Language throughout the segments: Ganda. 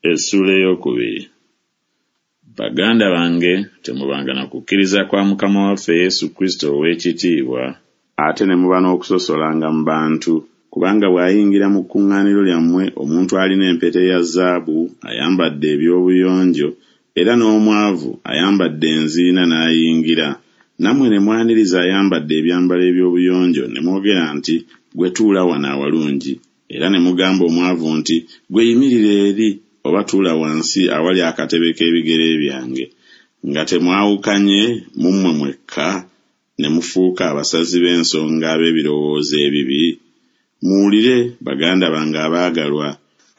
Essuula ey'okubiri. Baganda bange, temubanga na kukkiriza kwa Mukama waffe Yesu Kristo ow'ekitiibwa, ate ne muba n'okusosolanga mu bantu. Kubanga bw'ayingira mu kkuŋŋaaniro lyammwe omuntu alina empeta eya zaabu, ayambadde eby'obuyonjo, era n'omwavu ayambadde enziina n'ayingira, nammwe ne mwaniriza ayambadde ebyambalo eby'obuyonjo ne mwogera nti, Ggwe tuula wano awalungi, era ne mugamba omwavu nti, Ggwe yimirira eri, oba tuula wansi awali akatebe k'ebigere byange, nga temwawukanye mu mmwe mwekka, ne mufuuka abasazi b'ensonga ab'ebirowoozo ebibi? Muwulire, baganda bange abaagalwa.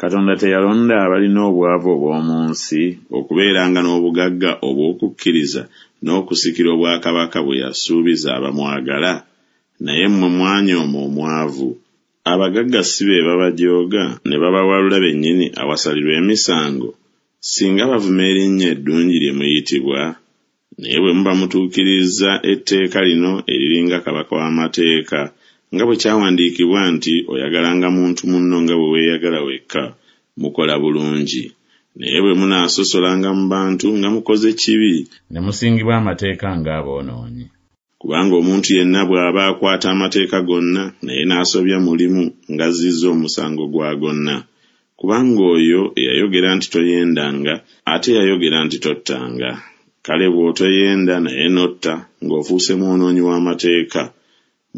Katonda teyalonda abalina obwavu obw'omu nsi okubeeranga n'obugagga obw'okukkiriza n'okusikira obwakabaka bwe yasuubiza abamwagala? Naye mmwe mwanyooma omwavu. Abagagga si be babajooga ne babawalula bennyini awasalirwa emisango, singa bavuma erinnya eddungi lye muyitibwa? Naye bwe muba mutuukirizza etteeka lino eriri nga kabaka w'amateeka, nga bwe kyawandiikibwa nti Oyagalanga muntu munno nga bwe weeyagala wekka, mukola bulungi. Naye bwe munaasosolanga mu bantu nga mukoze kibi, ne musingibwa amateeka ng'aboonoonyi. Kubanga omuntu yenna bw'aba akwata amateeka gonna, naye n'asobya mu limu, ng'azzizza omusango gwa gonna. Kubanga oyo eyayogera nti Toyendanga, ate yayogera nti Tottanga. Kale bw'otoyenda naye n'otta, ng'ofuuse mwonoonyi w'amateeka.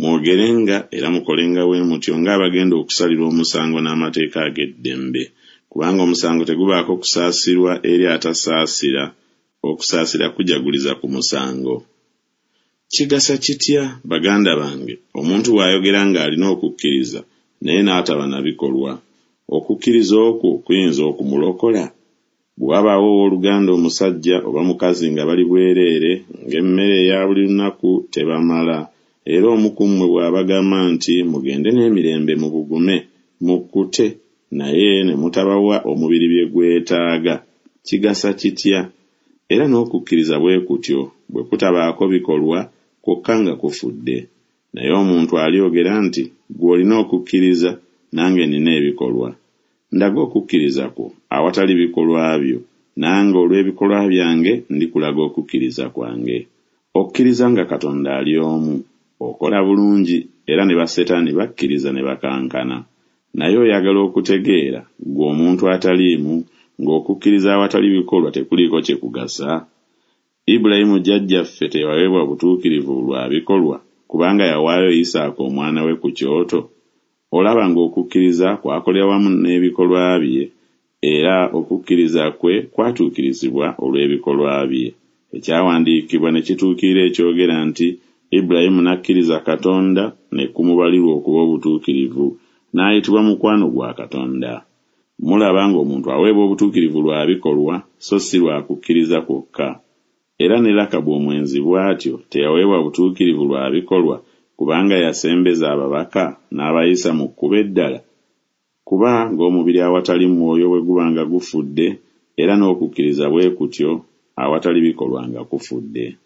Mwogerenga era mukolenga bwe mutyo ng'abagenda okusalirwa omusango n'amateeka ag'eddembe. Kubanga omusango tegubaako kusaasirwa eri atasaasira, okusaasira kujaguliza ku musango. Kigasa kitya, baganda bange, omuntu bw'ayogera ng'alina okukkiriza, naye n'ataba na bikolwa? Okukkiriza okwo kuyinza okumulokola? Bwe wabaawo owooluganda omusajja oba mukazi nga bali bwereere, ng'emmere eya buli lunaku tebamala, era omu ku mmwe bw'abagamba nti, Mugende n'emirembe mubugume, mukkute, naye ne mutabawa omubiri bye gwetaaga, kigasa kitya? Era n'okukkiriza bwe kutyo, bwe kutabaako bikolwa, kwokka nga kufudde. Naye omuntu alyogera nti, Ggwe olina okukkiriza, nange nnina ebikolwa. Ndaga okukkiriza kwo awatali bikolwa byo, nange olw'ebikolwa byange ndikulaga okukkiriza kwange. Okkiriza nga Katonda ali omu, okola bulungi, era ne basetaani bakkiriza ne bakankana. Naye oyagala okutegeera, ggwe omuntu ataliimu, ng'okukkiriza awatali bikolwa tekuliiko kye kugasa? Ibulayimu jjajjaffe teyaweebwa butuukirivu lwa bikolwa, kubanga yawaayo Isaaka omwana we ku kyoto? Olaba ng'okukkiriza kwakolera wamu n'ebikolwa bye, era okukkiriza kwe kwatuukirizibwa olw'ebikolwa bye. Ekyawandiikibwa ne kituukirira ekyogera nti, Ibulayimu n'akkiriza Katonda, ne kumubalirwa okuba obutuukirivu, n'ayitibwa mukwano gwa Katonda. Mulaba ng'omuntu aweebwa obutuukirivu lwa bikolwa, so si lwa kukkiriza kwokka. Era ne Lakabu omwenzi bw'atyo teyaweebwa butuukirivu lwa bikolwa, kubanga yasembeza ababaka n'abayisa mu kkubo eddala? Kuba ng'omubiri awatali mwoyo bwe guba nga gufudde, era n'okukkiriza bwe kutyo awatali bikolwa nga kufudde.